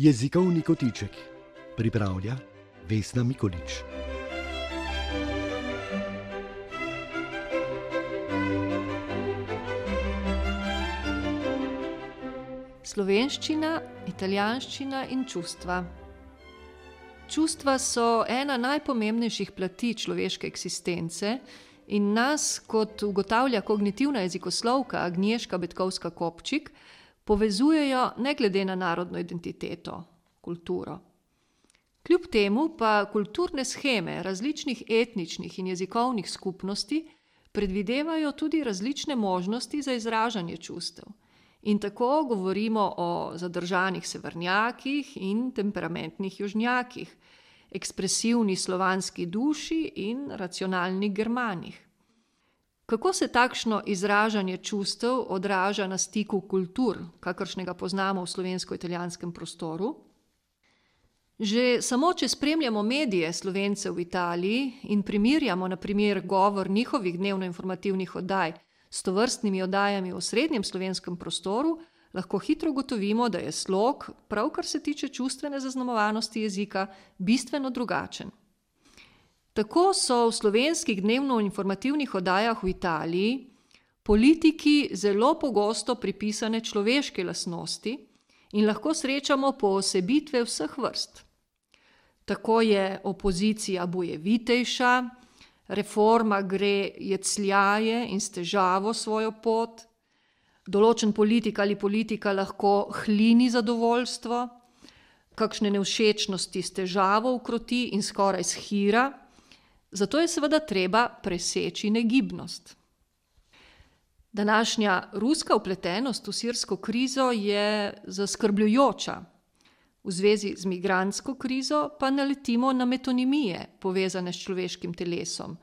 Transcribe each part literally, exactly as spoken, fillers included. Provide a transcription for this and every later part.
Jezikovni kotiček pripravlja Vesna Mikolič. Slovenščina, italijanščina in čustva. Čustva so ena najpomembnejših plati človeške eksistence in nas, kot ugotavlja kognitivna jezikoslovka Agnieszka Betkovska-Kopčik, povezujejo ne glede na narodno identiteto, kulturo. Kljub temu pa kulturne sheme različnih etničnih in jezikovnih skupnosti predvidevajo tudi različne možnosti za izražanje čustev. In tako govorimo o zadržanih severnjakih in temperamentnih južnjakih, ekspresivni slovanski duši in racionalnih Germanih. Kako se takšno izražanje čustev odraža na stiku kultur, kakršnega poznamo v slovensko-italijanskem prostoru? Že samo, če spremljamo medije Slovencev v Italiji in primerjamo na primer govor njihovih dnevno-informativnih oddaj s tovrstnimi oddajami v osrednjem slovenskem prostoru, lahko hitro ugotovimo, da je slog, prav kar se tiče čustvene zaznamovanosti jezika, bistveno drugačen. Tako so v slovenskih dnevno-informativnih oddajah v Italiji politiki zelo pogosto pripisane človeške lastnosti in lahko srečamo poosebitve vseh vrst. Tako je opozicija bojevitejša, reforma gre jecljaje in s težavo svojo pot, določen politik ali politika lahko hlini zadovoljstvo, kakšne nevšečnosti s težavo ukroti in skoraj shira, zato je seveda treba preseči negibnost. Današnja ruska vpletenost v sirsko krizo je zaskrbljujoča. V zvezi z migrantsko krizo pa naletimo na metonimije, povezane s človeškim telesom.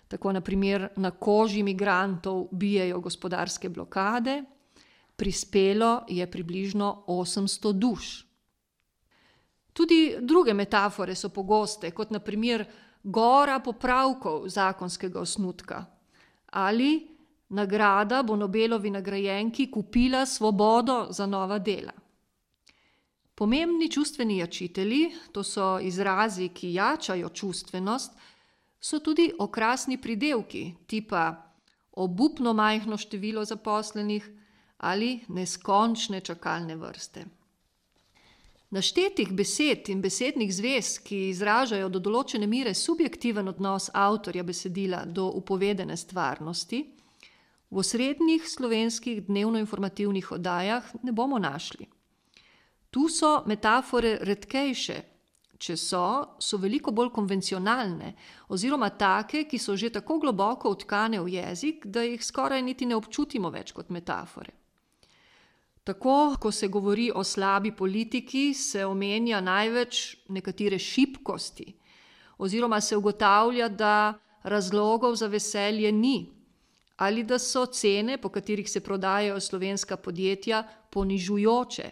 Tako na primer na koži migrantov bijejo gospodarske blokade, prispelo je približno osemsto duš. Tudi druge metafore so pogoste, kot na primer gora popravkov zakonskega osnutka ali nagrada bo Nobelovi nagrajenki kupila svobodo za nova dela. Pomembni čustveni jačitelji, to so izrazi, ki jačajo čustvenost, so tudi okrasni pridevki, tipa obupno majhno število zaposlenih ali neskončne čakalne vrste. Naštetih besed in besednih zvez, ki izražajo do določene mere subjektiven odnos avtorja besedila do upovedene stvarnosti, v osrednjih slovenskih dnevno-informativnih oddajah ne bomo našli. Tu so metafore redkejše, če so, so veliko bolj konvencionalne oziroma take, ki so že tako globoko vtkane v jezik, da jih skoraj niti ne občutimo več kot metafore. Tako, ko se govori o slabi politiki, se omenja največ nekatere šibkosti oziroma se ugotavlja, da razlogov za veselje ni ali da so cene, po katerih se prodajajo slovenska podjetja, ponižujoče.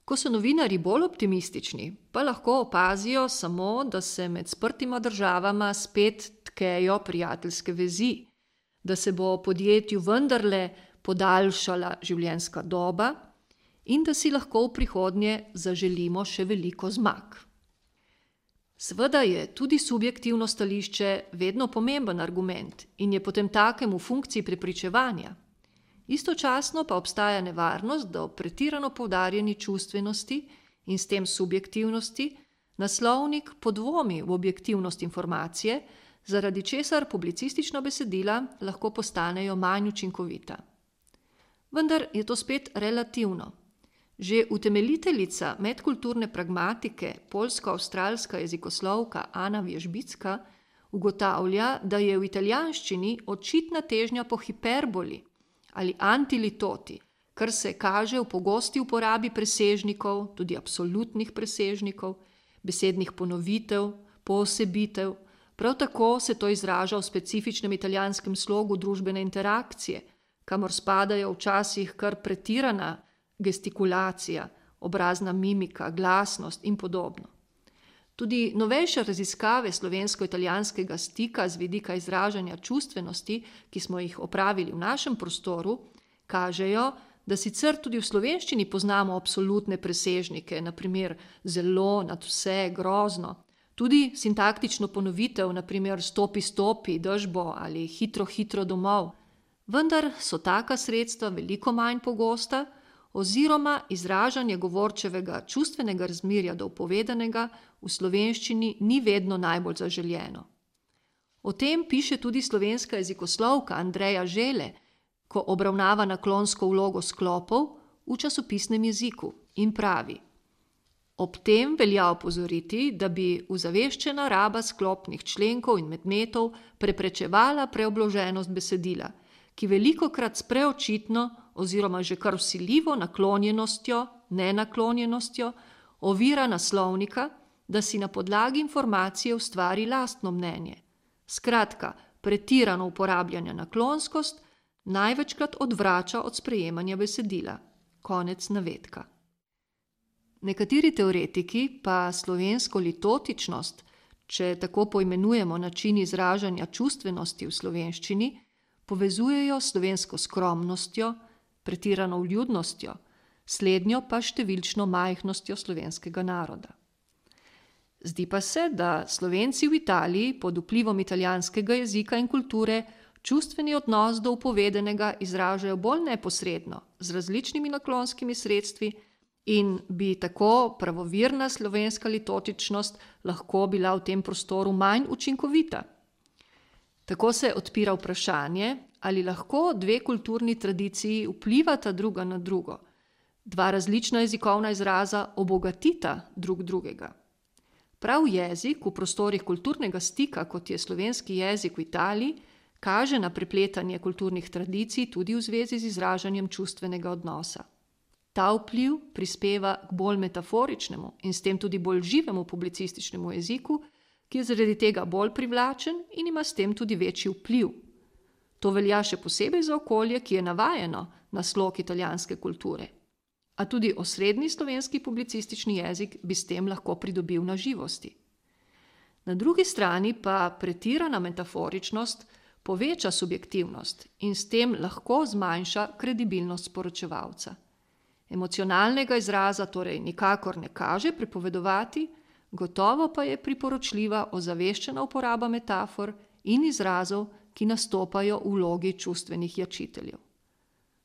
Ko so novinarji bolj optimistični, pa lahko opazijo samo, da se med sprtima državama spet tkejo prijateljske vezi, da se bo podjetju vendarle podaljšala življenjska doba in da si lahko v prihodnje zaželimo še veliko zmag. Seveda je tudi subjektivno stališče vedno pomemben argument in je potem takem v funkciji prepričevanja. Istočasno pa obstaja nevarnost, da ob pretirano poudarjeni čustvenosti in s tem subjektivnosti naslovnik podvomi v objektivnost informacije, zaradi česar publicistična besedila lahko postanejo manj učinkovita. Vendar je to spet relativno. Že utemeljiteljica medkulturne pragmatike, poljsko-avstralska jezikoslovka Ana Vježbicka, ugotavlja, da je v italijanščini očitna težnja po hiperboli ali antilitoti, kar se kaže v pogosti uporabi presežnikov, tudi absolutnih presežnikov, besednih ponovitev, poosebitev. Prav tako se to izraža v specifičnem italijanskem slogu družbene interakcije, kamor spadajo včasih kar pretirana gestikulacija, obrazna mimika, glasnost in podobno. Tudi novejše raziskave slovensko-italijanskega stika z vidika izražanja čustvenosti, ki smo jih opravili v našem prostoru, kažejo, da sicer tudi v slovenščini poznamo absolutne presežnike, naprimer zelo, nadvse, grozno, tudi sintaktično ponovitev, naprimer stopi, stopi, dežbo ali hitro, hitro domov, vendar so taka sredstva veliko manj pogosta oziroma izražanje govorčevega čustvenega razmerja do povedanega v slovenščini ni vedno najbolj zaželjeno. O tem piše tudi slovenska jezikoslovka Andreja Žele, ko obravnava naklonsko vlogo sklopov v časopisnem jeziku in pravi: ob tem velja opozoriti, da bi uzaveščena raba sklopnih členkov in medmetov preprečevala preobloženost besedila, ki velikokrat s preočitno oziroma že kar vsiljivo naklonjenostjo, nenaklonjenostjo ovira naslovnika, da si na podlagi informacije ustvari lastno mnenje. Skratka, pretirano uporabljanje naklonskost največkrat odvrača od sprejemanja besedila. Konec navedka. Nekateri teoretiki pa slovensko litotičnost, če tako poimenujemo način izražanja čustvenosti v slovenščini, povezujejo s slovensko skromnostjo, pretirano vljudnostjo, slednjo pa številčno majhnostjo slovenskega naroda. Zdi pa se, da Slovenci v Italiji pod vplivom italijanskega jezika in kulture čustveni odnos do upovedenega izražajo bolj neposredno, z različnimi naklonskimi sredstvi in bi tako pravovirna slovenska litotičnost lahko bila v tem prostoru manj učinkovita. Tako se odpira vprašanje, ali lahko dve kulturni tradiciji vplivata druga na drugo, dva različna jezikovna izraza obogatita drug drugega. Prav jezik v prostorih kulturnega stika, kot je slovenski jezik v Italiji, kaže na prepletanje kulturnih tradicij tudi v zvezi z izražanjem čustvenega odnosa. Ta vpliv prispeva k bolj metaforičnemu in s tem tudi bolj živemu publicističnemu jeziku, ki je zaradi tega bolj privlačen in ima s tem tudi večji vpliv. To velja še posebej za okolje, ki je navajeno na slog italijanske kulture. A tudi osrednji slovenski publicistični jezik bi s tem lahko pridobil na živosti. Na drugi strani pa pretirana metaforičnost poveča subjektivnost in s tem lahko zmanjša kredibilnost sporočevalca. Emocionalnega izraza torej nikakor ne kaže prepovedovati, gotovo pa je priporočljiva ozaveščena uporaba metafor in izrazov, ki nastopajo v vlogi čustvenih jačiteljev.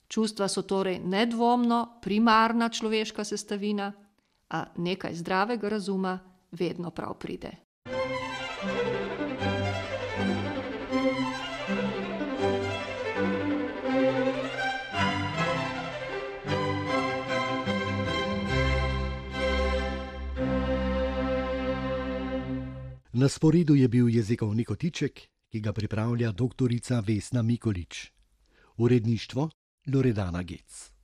Čustva so torej nedvomno primarna človeška sestavina, a nekaj zdravega razuma vedno prav pride. Na sporedu je bil jezikovni kotiček, ki ga pripravlja doktorica Vesna Mikolič. Uredništvo Loredana Gec.